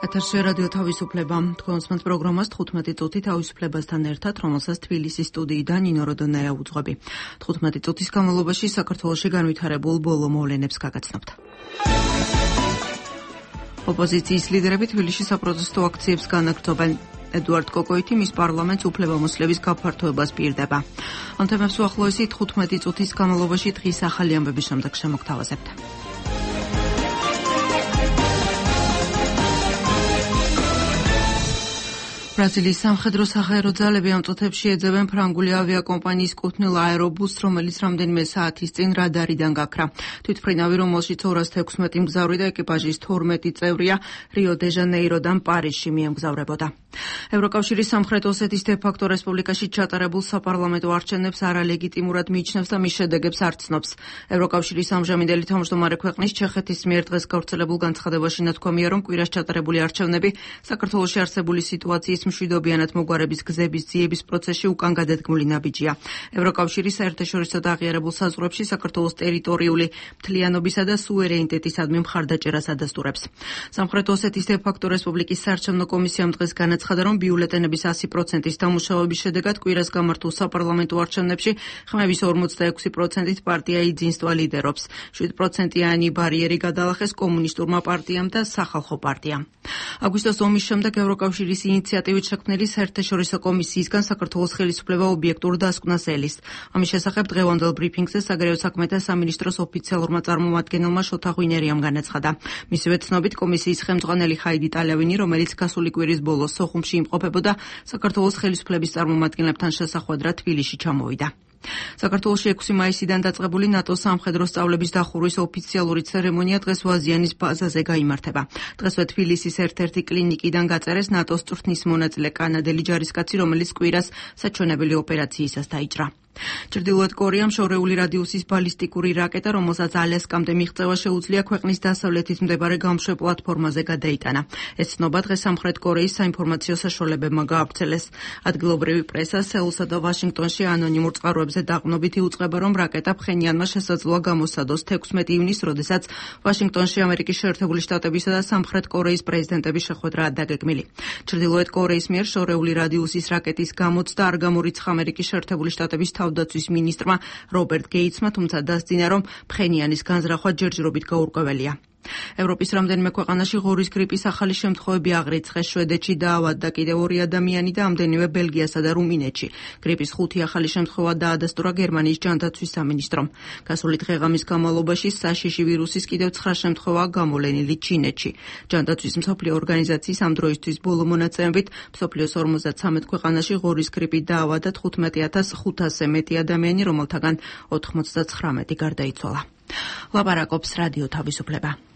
ეთერში რადიო თავისუფლება. თქვენს პროგრამას 15 წუთი თავისუფლებასთან ერთად, რომელსაც თბილისის სტუდიიდან ნინო როდონაია უძღვები. 15 წუთის განმავლობაში საქართველოში განვითარებულ ბოლო მოვლენებს გაგაცნობთ. ოპოზიციის ლიდერები თბილისში საპროტესტო აქციებს განაგრძობენ. ედუარდ კოკოიტი მის პარლამენტს უფლებამოსილების გაფართოებას პირდება. ამ თემებს უახლოესი 15 წუთის განმავლობაში დღის ახალი ამბების შემდეგ შემოგთავაზებთ. ბრაზილიის სამხედრო საჰაერო ძალები ამ წუთებში ეძებენ ფრანგული ავიაკომპანიის კუთვნილ აერობუსს, რომელიც რამდენიმე საათის წინ რადარიდან გაქრა. თვითმფრინავი, რომელშიც 216 მგზავრი და ეკიპაჟის 12 წევრია, რიო-დე-ჟანეიროდან პარიზში მიემგზავრებოდა. ევროკავშირის სამხრეთ ოსეთის დე-ფაქტო რესპუბლიკაში ჩატარებულ საპარლამენტო არჩევნებს არალეგიტიმურად მიიჩნევს და მის შედეგებს არ ცნობს. ევროკავშირის ამჟამინდელი თავმჯდომარე ქვეყნის ჩეხეთის მიერ დღეს გავრცელებულ განცხადებაში ნათქვამია, რომ კვირას ჩატარებული არჩევნები საქართველოში არსებული სიტუაციის მშვიდობიანად მოგვარების გზების ძიების პროცესში უკან გადადგმული ნაბიჯია. ევროკავშირის საერთაშორისო და აღიარებულ საზღვრებში საქართველოს ტერიტორიული მთლიანობისა და სუვერენიტეტისადმი მხარდაჭერას ადასტურებს. სამხრეთ ოსეთის დე-ფაქტო რესპუბლიკის საარჩევნო კომისიამ დღეს განაცხადა, რომ ბიულეტენების 100%-ის დამუშავების შედეგად კვირას გამართულ საპარლამენტო არჩევნებში ხმების 46%-ით პარტია იძინსტვა ლიდერობს. 7%-იანი ბარიერი გადალახეს კომუნისტურმა პარტიამ და სახალხო პარტიამ. აგვისტოს ომის შემდეგ ევროკავშირის ინიციატივით შექმნილი საერთაშორისო კომისიისგან საქართველოს ხელისუფლება ობიექტურ დასკვნას ელის. ამის შესახებ დღევანდელ ბრიფინგზე საგარეო საქმეთა სამინისტროს ოფიციალურმა წარმომადგენელმა შოთა ღვინერიამ განაცხადა. მისივე ცნობით, კომისიის ხელმძღვანელი ხაიდი ტალევინი, რომელიც გასული კვირის ბოლოს სოხუმში იმყოფებოდა, საქართველოს ხელისუფლების წარმომადგენლებთან შესახვედრად თბილისში ჩამოვიდა. საქართველოში 6 მაისიდან დაწყებული ნატოს სამხედრო სწავლების დახურვის ოფიციალური ცერემონია დღეს ვაზიანის ბაზაზე გაიმართება. დღესვე თბილისის ერთ-ერთი კლინიკიდან გაწერეს ნატოს წვრთნის მონაწილე კანადელი ჯარისკაცი, რომელიც კვირას საჩვენებელი ოპერაციისას დაიჭრა. ჩრდილოეთ კორეამ შორეული რადიუსის ბალისტიკური რაკეტა, რომელსაც ალასკამდე მიღწევა შეუძლია, ქვეყნის დასავლეთით მდებარე გამშვე პლატფორმაზე გადაიტანა. ეს ცნობა დღეს სამხრეთ კორეის საინფორმაციო საშუალებებმა გაავრცელეს. ადგილობრივი პრესა სეულსა და ვაშინგტონში ანონიმურ წყაროებზე დაყრდნობით იუწყება, რომ რაკეტა ფხენიანმა შესაძლოა გამოსცადოს 16 ივნისს, როდესაც ვაშინგტონში ამერიკის შეერთებული შტატებისა და სამხრეთ კორეის პრეზიდენტების შეხვედრაა დაგეგმილი. ჩრდილოეთ კორეის მიერ შორეული რადიუსის რაკეტის გამოცდა არ გამორიცხა ამერიკის შეერთებული შტატების თავდაცვის მინისტრმა რობერტ გეიცმა, თუმცა დასძინა, რომ ფხენიანის განზრახვა ჯერჯერობით გაურკვეველია. ევროპის რამდენიმე ქვეყანაში ღორის გრიპის ახალი შემთხვევები აღრიცხეს. შვედეთში დაავადდა კიდევ 2 ადამიანი და ამდენივე ბელგიასა და რუმინეთში. გრიპის 5 ახალი შემთხვევა დაადასტურა გერმანიის ჯანდაცვის სამინისტრომ. გასული დღე-ღამის განმავლობაში საშიში ვირუსის კიდევ 9 შემთხვევაა გამოვლენილი ჩინეთში. ჯანდაცვის მსოფლიო ორგანიზაციის ამ დროისთვის ბოლო მონაცემებით მსოფლიოს 53 ქვეყანაში ღორის გრიპით დაავადდა 15,500-ზე მეტი ადამიანი, რომელთაგან 99 გარდაიცვალა. ლაპარაკობს რადიო თავისუფლება.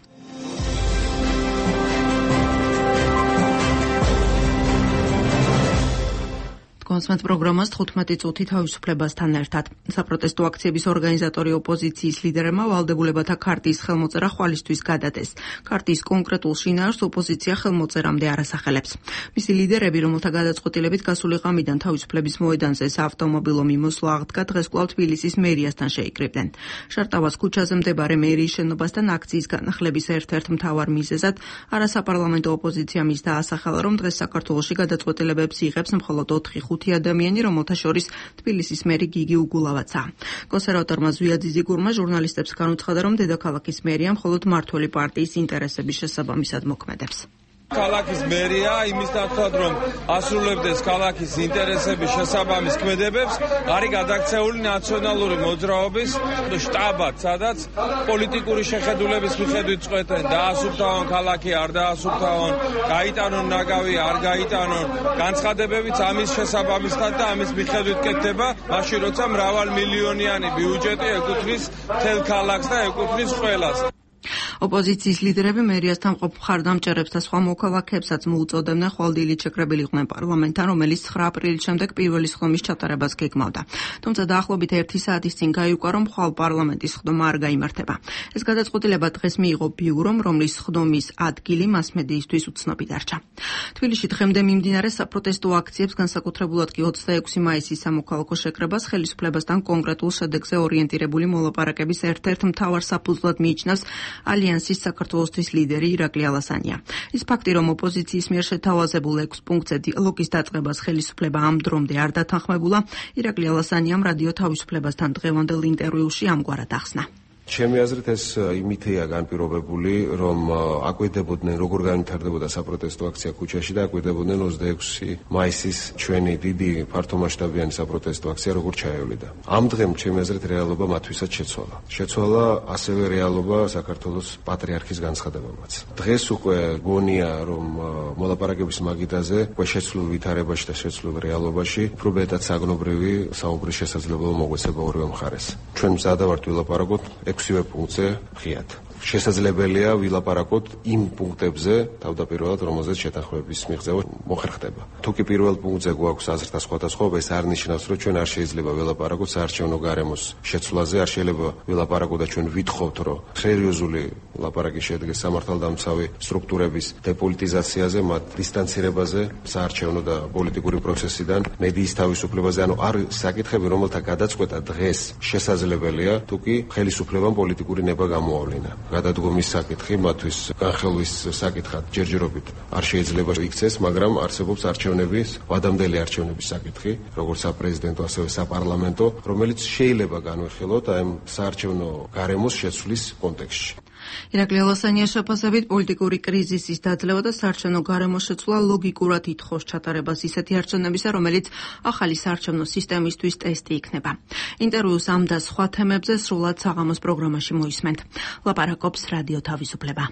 კონსმეთ პროგრამას 15 წუთი თავისუფლებასთან ერთად. საპროტესტო აქციების ორგანიზატორი ოპოზიციის ლიდერებმა ვალდებულებათა ქარტიის ხელმოწერა ხვალისთვის გადადეს. ქარტიის კონკრეტულ შინაარსს ოპოზიცია ხელმოწერამდე არ ასახელებს. მისი ლიდერები, რომელთა გადაწყვეტილებით გასული ღამიდან თავისუფლების მოედანზე საავტომობილო მიმოსვლა აღდგა, დღეს კვლავ თბილისის მერიასთან შეიკრიბნენ. შარტავას ქუჩაზე მდებარე მერიის შენობასთან აქციის განახლების ერთ-ერთ მთავარ მიზეზად არასაპარლამენტო ოპოზიცია მის დაასახელა, რომ დღეს საქართველოში გადაწყვეტილებებს იღებს მხოლოდ 4 ადამიანი, რომელთა შორის თბილისის მერი გიგი უგულავაცაა. კონსერვატორმა ზვია ძიზიგურმა ჟურნალისტებს განუცხადა, რომ დედაქალაქის მერია მხოლოდ მმართველი პარტიის ინტერესების შესაბამისად მოქმედებს. ქალაქის მერია იმის ნაცვლად, რომ ასრულებდეს ქალაქის ინტერესების შესაბამის ქმედებებს, არის გადაქცეული ნაციონალური მოძრაობის შტაბად, სადაც პოლიტიკური შეხედულების მიხედვით წყვეტენ, დაასუფთავონ ქალაქი, არ დაასუფთავონ, გაიტანონ ნაგავი, არ გაიტანონ, განცხადებებიც ამის შესაბამისად და ამის მიხედვით კეთდება, მაშინ როცა მრავალმილიონიანი ბიუჯეტი ეკუთვნის მთელ ქალაქს და ეკუთვნის ყველას. ოპოზიციის ლიდერები მერიასთან მყოფ მხარდამჭერებს და სხვა მოქალაქეებსაც მოუწოდებდნენ ხვალდილით შეკრებილიყვნენ პარლამენტთან, რომელიც 9 აპრილის შემდეგ პირველი სხდომის ჩატარებას გეგმავდა. თუმცა დაახლოებით 1 საათის წინ გაიუკვა, რომ ხვალ პარლამენტის სხდომა არ გაიმართება. ეს გადაწყვეტილება დღეს მიიღო ბიურომ, რომლის სხდომის ადგილი მასმედიისთვის უცნობი დარჩა. თბილისში დღემდე მიმდინარე საპროტესტო აქციებს, განსაკუთრებულად კი 26 მაისის სამოქალაქო შეკრებას ხელისუფლებასთან კონკრეტულ შედეგზე ორიენტირებული მოლაპარაკების ერთ-ერთ მთავარ საფუძვლად მიიჩნევს ალიანსის საქართველოსთვის ლიდერი ირაკლი ალასანია. ის ფაქტი, რომ ოპოზიციის მიერ შეთავაზებულ 6 პუნქტზე დიალოგის დაწყებას ხელისუფლება ამ დრომდე არ დათანხმებულა, ირაკლი ალასანიამ რადიო თავისუფლებასთან დღევანდელ ინტერვიუში ამგვარად ახსნა. ჩემი აზრით ეს იმითია განპირობებული, რომ აკვირდებოდნენ როგორ განვითარდებოდა საპროტესტო აქცია ქუჩაში და აკვირდებოდნენ 26 მაისის ჩვენი დიდი ფართომასშტაბიანი საპროტესტო აქცია როგორ ჩაევლიდა. ამ დღემ ჩემი აზრით რეალობა მათვისაც შეცვალა. შეცვალა ასევე რეალობა საქართველოს პატრიარქის განცხადებამაც. დღეს უკვე გონია, რომ მოლაპარაკების მაგიდაზე უკვე შეცვლილ ვითარებაში და შეცვლილ რეალობაში უფრო მეტად საგნობრივი საუბრის შესაძლებლობა მოგვეცება ორივე მხარეს. ჩვენ მზადა ვართ ვილაპარაკოთ 6 პუნქტზე ღიად. შესაძლებელია ვილაპარაკოთ იმ პუნქტებზე, თავდაპირველად, რომელზეც შეთანხმების მიღწევა მოხერხდება. თუ კი პირველ პუნქტზე გვაქვს აზრთა სხვადასხვაობა, ეს არ ნიშნავს, რომ ჩვენ არ შეიძლება ვილაპარაკოთ საარჩევნო გარემოს შეცვლაზე, არ შეიძლება ვილაპარაკოთ და ჩვენ ვითხოვთ, რომ სერიოზული ლაპარაკი შედგეს სამართალდამცავი სტრუქტურების დეპოლიტიზაციაზე, მათ დისტანცირებაზე საარჩევნო და პოლიტიკური პროცესიდან, მედიის თავისუფლებაზე, ანუ არ საკითხები, რომელთა გადაწყვეტა დღეს შესაძლებელია, თუ კი ხელისუფლებამ პოლიტიკური ნება გამოავლინა. გადადგომის საკითხი მათთვის განხელვის საკითხად ჯერჯერობით არ შეიძლება იქცეს, მაგრამ არსებობს არჩევნების, ვადამდელი არჩევნების საკითხი, როგორც საპრეზიდენტო, ასევე საპარლამენტო, რომელიც შეიძლება განვიხილოთ აი ამ საარჩევნო გარემოს შეცვლის კონტექსტში. ირაკლი ალასანიას შეფასებით პოლიტიკური კრიზისის დაძლევა და საარჩევნო გარემოს შეცვლა ლოგიკურად ითხოვს ჩატარებას ისეთი არჩევნებისა, რომელიც ახალი საარჩევნო სისტემისთვის ტესტი იქნება. ინტერვიუს ამ და სხვა თემებზე სრულად საღამოს პროგრამაში მოისმენთ. ლაპარაკობს რადიო თავისუფლება.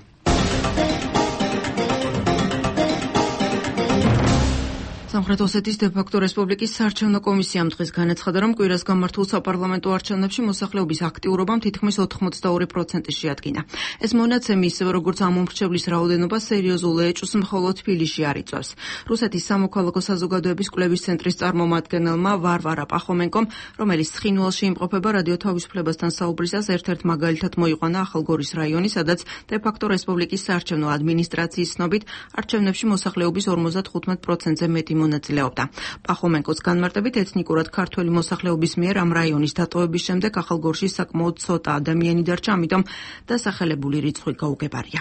სამხრეთ ოსეთის დე-ფაქტო რესპუბლიკის საარჩევნო კომისიამ დღეს განაცხადა, რომ კვირას გამართულ საპარლამენტო არჩევნებში მოსახლეობის აქტიურობამ თითქმის 82% შეადგინა. ეს მონაცემი, ისევე როგორც ამომრჩევლის რაოდენობა, სერიოზულ ეჭვს მხოლოდ თბილისში არ იწვევს. რუსეთის სამოქალაქო საზოგადოების კვლევის ცენტრის წარმომადგენელმა ვარვარა პახომენკომ, რომელიც ცხინვალში იმყოფება, რადიო თავისუფლებასთან საუბრისას ერთ-ერთ მაგალითად მოიყვანა ახალგორის რაიონი, სადაც დე-ფაქტო რესპუბლიკის საარჩევნო ადმინისტრაციის ცნობით არჩევნებში მოსახლეობის 55%-ზე მეტი მონაწილეობდა. პახომენკოს განმარტებით ეთნიკურად ქართველი მოსახლეობის მიერ ამ რაიონის დატოვების შემდეგ ახალგორში საკმაოდ ცოტა ადამიანი დარჩა, ამიტომ დასახელებული რიცხვი გაუგებარია.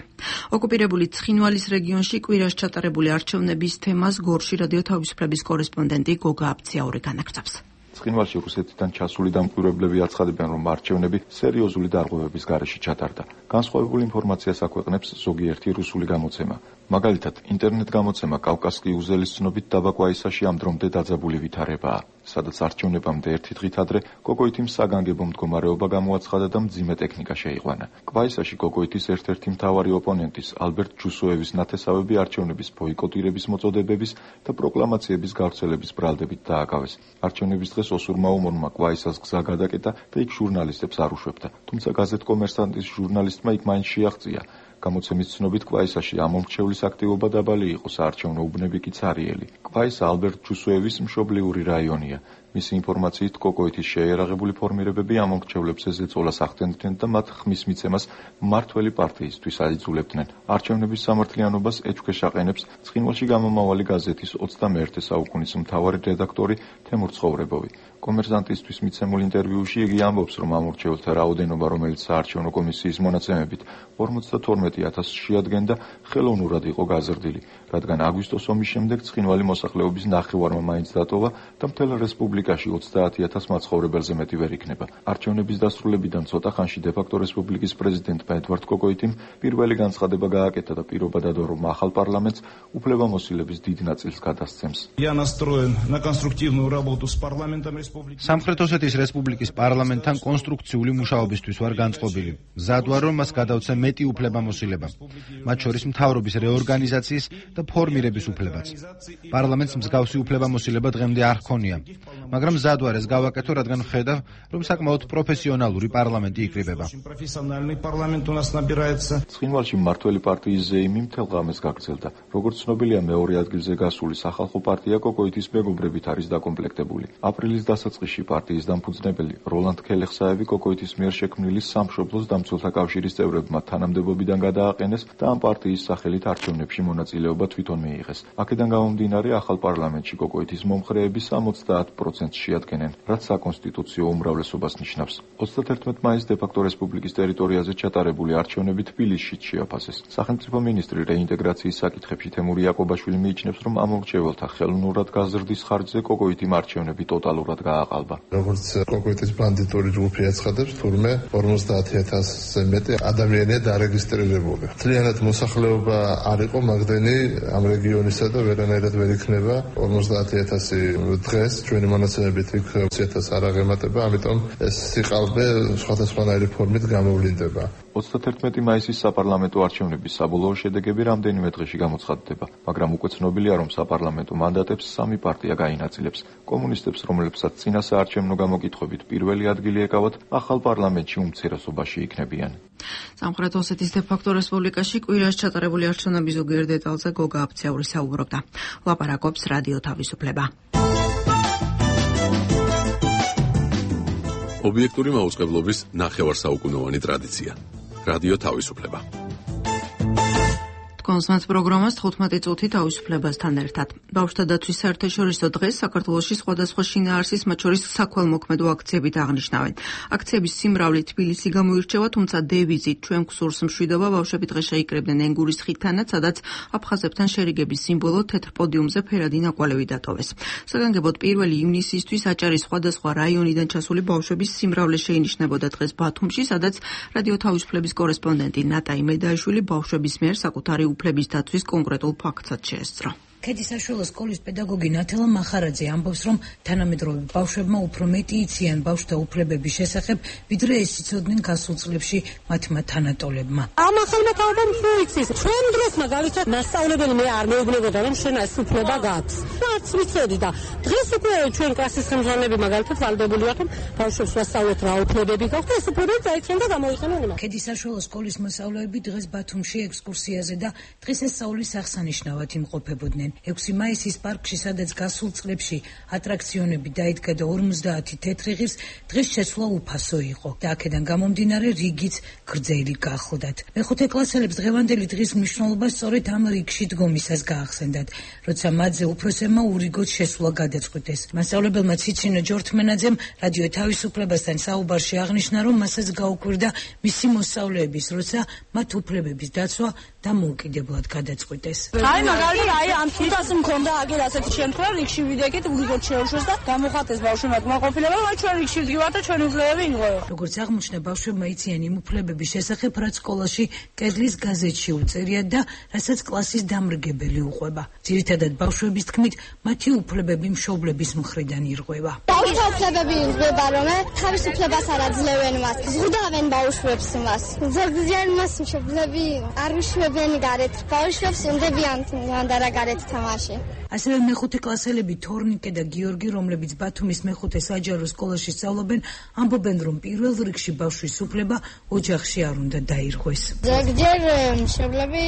ოკუპირებული ცხინვალის რეგიონში კვირას ჩატარებული არჩევნების თემას გორში რადიო თავისუფლების კორესპონდენტი გოგა აბციაური განაგრძობს. ცხინვალში რუსეთიდან ჩასული დამკვირვებლები აცხადებენ, რომ არჩევნები სერიოზული დარღვევების გარეშე ჩატარდა. განსხვავებულ ინფორმაციას აქვეყნებს ზოგიერთი რუსული გამოცემა. მაგალითად, ინტერნეტ გამოცემა კავკასკი უზელის ცნობით დაბა კვაისაში ამ დრომდე დაძაბული ვითარებაა, სადაც არჩევნებამდე ერთი დღით ადრე კოკოითიმ საგანგებო მდგომარეობა გამოაცხადა და მძიმე ტექნიკა შეიყვანა. კვაისაში კოკოითის ერთ-ერთი მთავარი ოპონენტის ალბერტ ჯუსოევის ნათესავები არჩევნების ბოიკოტირების მოწოდებების და პროკლამაციების გავრცელების ბრალდებით დააკავეს. არჩევნების დღეს ოსურმა უმორმა კვაისას გზა გადაკეტა და იქ ჟურნალისტებს არ უშვებდა. თუმცა გაზეთ კომერსანტის ჟურნალისტმა იქ მაინც შეაღწია. გამოცემის ცნობით კვაისაში ამომრჩევლის აქტივობა დაბალი იყო, საარჩევნო უბნები კი ცარიელი. კვაისა ალბერტ ჯუსოევის მშობლიური რაიონია. მისი ინფორმაციით კოკოითის შეიარაღებული ფორმირებები ამომრჩევლებს ზეწოლას ახდენდნენ და მათ ხმის მიცემას მმართველი პარტიისთვის აიძულებდნენ. არჩევნების სამართლიანობას ეჭვქვეშ აყენებს ცხინვალში გამომავალი გაზეთის 21 საუკუნის მთავარი რედაქტორი თემურ ცხოვრებოვი. კომერსანტისთვის მიცემულ ინტერვიუში იგი ამბობს, რომ ამორჩეულთა რაოდენობა, რომელიც საარჩევნო კომისიის მონაცემებით 52,000 შეადგენდა, ხელოვნურად იყო გაზრდილი, რადგან აგვისტოს ომის შემდეგ ცხინვალი მოსახლეობის ნახევარმა მაინც დატოვა და მთელ რესპუბლიკაში 30,000 მაცხოვრებელზე მეტი ვერ იქნება. არჩევნების დასრულებიდან ცოტა ხანში დე-ფაქტო რესპუბლიკის პრეზიდენტმა ედვარდ კოკოითიმ პირველი განცხადება გააკეთა და პირობა დადო, რომ ახალ პარლამენტს უფლებამოსილების დიდ ნაწილს გადასცემს. სამხრეთ ოსეთის რესპუბლიკის პარლამენტთან კონსტრუქციული მუშაობისთვის ვარ განწყობილი. მზად ვარ, რომ მას გადავცე მეტი უფლებამოსილება, მათ შორის მთავრობის რეორგანიზაციის და ფორმირების უფლებაც. პარლამენტს მსგავსი უფლებამოსილება დღემდე არ ჰქონია, მაგრამ მზად ვარ ეს გავაკეთო, რადგან ვხედავ, რომ საკმაოდ პროფესიონალური პარლამენტი იკრიბება. ცხინვალში მმართველი პარტიის ზეიმი მთელ ღამეს გაგრძელდა. როგორც ცნობილია, მეორე ადგილზე გასული სახალხო პარტია კოკოითის მეგობრებით არის დაკომპლექტებული. აპრილის დასაწყისში პარტიის დამფუძნებელი როლანდ ქელეხსაევი კოკოითის მიერ შექმნილი სამშობლოს დამცველთა კავშირის წევრებმა თანამდებობიდან გადააყენეს და ამ პარტიის სახელით არჩევნებში მონაწილეობა თვითონ მიიღეს. აქედან გამომდინარე, ახალ პარლამენტში კოკოითის მომხრეები 70%-ს შეადგენენ, რაც საკონსტიტუციო უმრავლესობას ნიშნავს. 31 მაისს დე-ფაქტო რესპუბლიკის ტერიტორიაზე ჩატარებული არჩევნები თბილისშიც შეაფასეს. სახელმწიფო მინისტრი რეინტეგრაციის საკითხებში თემური იაკობაშვილი მიიჩნევს, რომ ამ მრჩეველთა ხელოვნურად გაზრდის ხარჯზე კოკოითი არჩევნები ტოტალურად გააყალბა. როგორც კოკოითის ბანდიტური ჯგუფი აცხადებს, თურმე 50,000-ზე მეტი ადამიანია დარეგისტრირებული. მთლიანად მოსახლეობა არ იყო მაგდენი ამ რეგიონისა და ვერანაირად ვერ იქნება 50,000 დღეს ჩვენი მონაცემებით იქ 20,000 არ აღემატება, ამიტომ ეს სიყალბე სხვადასხვანაირი ფორმით გამოვლინდება. 31 მაისის საპარლამენტო არჩევნების საბოლოო შედეგები რამდენიმე დღეში გამოცხადდება, მაგრამ უკვე ცნობილია, რომ საპარლამენტო მანდატებს სამი პარტია გაინაწილებს. კომუნისტებს, რომლებსაც წინა საარჩევნო გამოკითხვებით პირველი ადგილი ეკავათ, ახალ პარლამენტში უმცირესობაში იქნებიან. სამხრეთ ოსეთის დე-ფაქტო რესპუბლიკაში კვირაში ჩატარებული არჩევნების ზოგიერთ დეტალზე გოგა აფციური საუბრობდა. ლაპარაკობს რადიო თავისუფლება. ობიექტური მაუწყებლობის ნახევარსაუკუნოვანი ტრადიცია. რადიო თავისუფლება. კონსმენთ პროგრამას 15 წუთი თავისუფლებასთან ერთად. ბავშვთა დათვის საერთაშორისო დღეს საქართველოში სხვადასხვა შინაარსის, მათ შორის საქველმოქმედო აქციებით აღნიშნავენ. აქციების სიმრავლე თბილისი გამოირჩევა, თუმცა დევიზით ჩვენ გსურს მშვიდობა ბავშვები დღეს შეიკრებდნენ ენგურის ხიდთანაც, სადაც აფხაზებთან შერიგების სიმბოლო თეთრ პოდიუმზე ფერადი ნაკვალევი დატოვეს. საგანგებოდ 1 ივნისისთვის აჭარის სხვადასხვა რაიონიდან ჩასული ბავშვების სიმრავლე შეინიშნებოდა დღეს ბათუმში, სადაც რადიო თავისუფლების კორესპონდენტი ნატა იმედაიშვილი ბავშვების მიერ საკუთარი უფლების დაცვის კონკრეტულ ფაქტსაც შეესწრო. ქედისაშვილოს სკოლის პედაგოგი ნათელა მახარაძე ამბობს, რომ თანამედროვე ბავშვებმა უფრო მეტი იციან ბავშვთა უფლებების შესახებ, ვიდრე ეს იცოდნენ გასულ წლებში მათმა თანატოლებმა. ამ ახალმა თაობამ რო იცის, ჩვენ დროს მაგალითად მასწავლებელი მე არ მეუბნებოდა, რომ შენ ეს უფლება გაქვს. არც ვიცოდი და დღეს უკვე ჩვენ კლასის ხელმძღვანელები მაგალითად ვალდებული ვართ, რომ ბავშვებს ვასწავლოთ რა უფლებები გაქვთ, ეს უფლებები დაიციან და გამოიყენონ იმას. ქედისაშვილოს სკოლის მოსწავლეები დღეს ბათუმში ექსკურსიაზე და დღესასწაულის აღსანიშნავად იმყოფებოდნენ. 6 მაისის პარკში, სადაც გასულ წლებში ატრაქციონები დაიდგა და 50 თეთრი ღირს, დღეს შეცვლა უფასო იყო და აქედან გამომდინარე რიგიც გრძელი გახლდათ. მეხუთე კლასელებს დღევანდელი დღის მნიშვნელობა სწორედ ამ რიგში დგომისას გაახსენდათ, როცა მათზე უფროსებმა ურიგოდ შესვლა გადაწყვიტეს. მასწავლებელმა ციცინო ჯორთმენაძემ რადიო თავისუფლებასთან საუბარში აღნიშნა, რომ მასაც გაუკვირდა მისი მოსწავლეების, როცა მათ უფლებების დაცვა დამოუკიდებლად გადაწყვიტეს. აი მაგალითად აი ამ თვითას მქონდა აგერ ასეთი შემთხვევა, რიგში ვიდეკით, ურიგოდ შეუშვეს და გამოხატეს ბავშვებმა კმაყოფილება, რომ ჩვენ რიგში ვდგივართ და ჩვენი უფლებები ინღოება. როგორც აღმოჩნდა, ბავშვებმა იციან იმ უფლებების შესახებ, რაც სკოლაში კედლის გაზეთში უწერიათ და რასაც კლასის დამრგებელი უყვება. ძირითადად ბავშვების თქმით, მათი უფლებები მშობლების მხრიდან ირღვევა. ბავშვთა უფლებები ირღვევა, რომ თავისუფლებას არ აძლევენ მას, ზღუდავენ ბავშვებს მას. ზოგჯერ მას მშობლები არ უშვებენ გარეთ, ბავშვებს უნდებიან მანდარა გარეთ თამაში. ასევე მეხუთე კლასელები თორნიკე და გიორგი, რომლებიც ბათუმის მეხუთე საჯარო სკოლაში სწავლობენ, ამბობენ, რომ პირველ რიგში ბავშვის უფლება ოჯახში არ უნდა დაირღვეს. ზოგჯერ მშობლები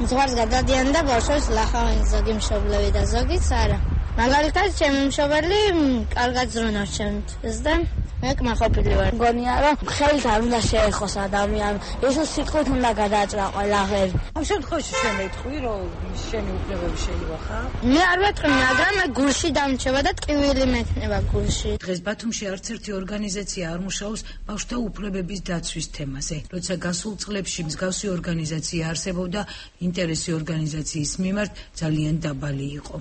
ზღვარს გადადიან და ბავშვებს ლახავენ, ზოგი მშობლები და ზოგიც არა. მაგალითად, ჩემი მშობელი კარგად ზრუნავს ჩემთვის და მე კმაყოფილი ვარ. მგონია, რომ ხელით არ უნდა შეეხოს ადამიანს, ისო სიტყვით უნდა გადააჭრა ყველაფერი. ამ შემთხვევაში შენ მეთქვი, რომ შენი უფლებები შეივახა? მე არ ვეთქვი, მაგრამ გულში დამრჩება და ტკივილი მექნება გულში. დღეს ბათუმში არც ერთი ორგანიზაცია არ მუშაობს ბავშვთა უფლებების დაცვის თემაზე. როცა გასულ წლებში მსგავსი ორგანიზაცია არსებობდა, ინტერესი ორგანიზაციის მიმართ ძალიან დაბალი იყო.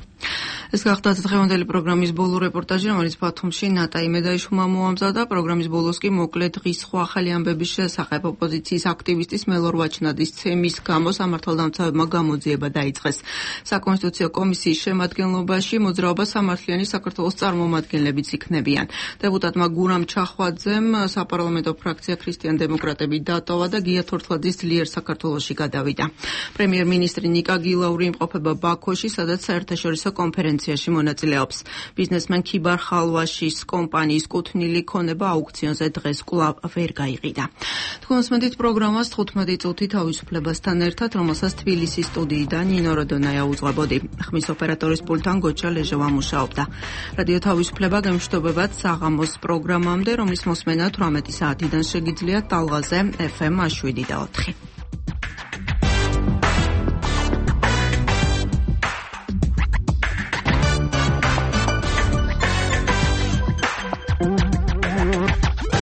ეს გახდა დღევანდელი პროგრამის ბოლო რეპორტაჟი, რომელიც ბათუმში ნატა იმედაიშვილმა მოამზადა. პროგრამის ბოლოს კი მოკლედ დღის სხვა ახალი ამბების შესახებ ოპოზიციის აქტივისტის მელორ ვაჩნადის ცემის გამო სამართალდამცავებმა გამოძიება დაიწყეს. საკონსტიტუციო კომისიის შემადგენლობაში მოძრაობა სამართლიანი საქართველოს წარმომადგენლებიც იქნებიან. დეპუტატმა გურამ ჩახვაძემ საპარლამენტო ფრაქცია ქრისტიან-დემოკრატები დატოვა და გია თორთლაძის ძლიერ საქართველოში გადავიდა. პრემიერ-მინისტრი ნიკა გილაური იმყოფება ბაქოში, სადაც საერთაშორისო კონფერენციაში მონაწილეობს. ბიზნესმენ ქიბარ ხალვაშის კომპანიის კუთვნილი ქონება აუქციონზე დღეს კვლავ ვერ გაიყიდა. თქვენს მედით პროგრამას 15 წუთი თავისუფლებასთან ერთად, რომელსაც თბილისის სტუდიიდან ნინო როდონაია უძღვებოდი. ხმის ოპერატორის პულტთან გოჩა ლეჟევა მუშაობდა. რადიო თავისუფლება გემშვიდობებათ საღამოს პროგრამამდე, რომლის მოსმენა 18 საათიდან შეგიძლიათ ტალღაზე FM 7 და 4.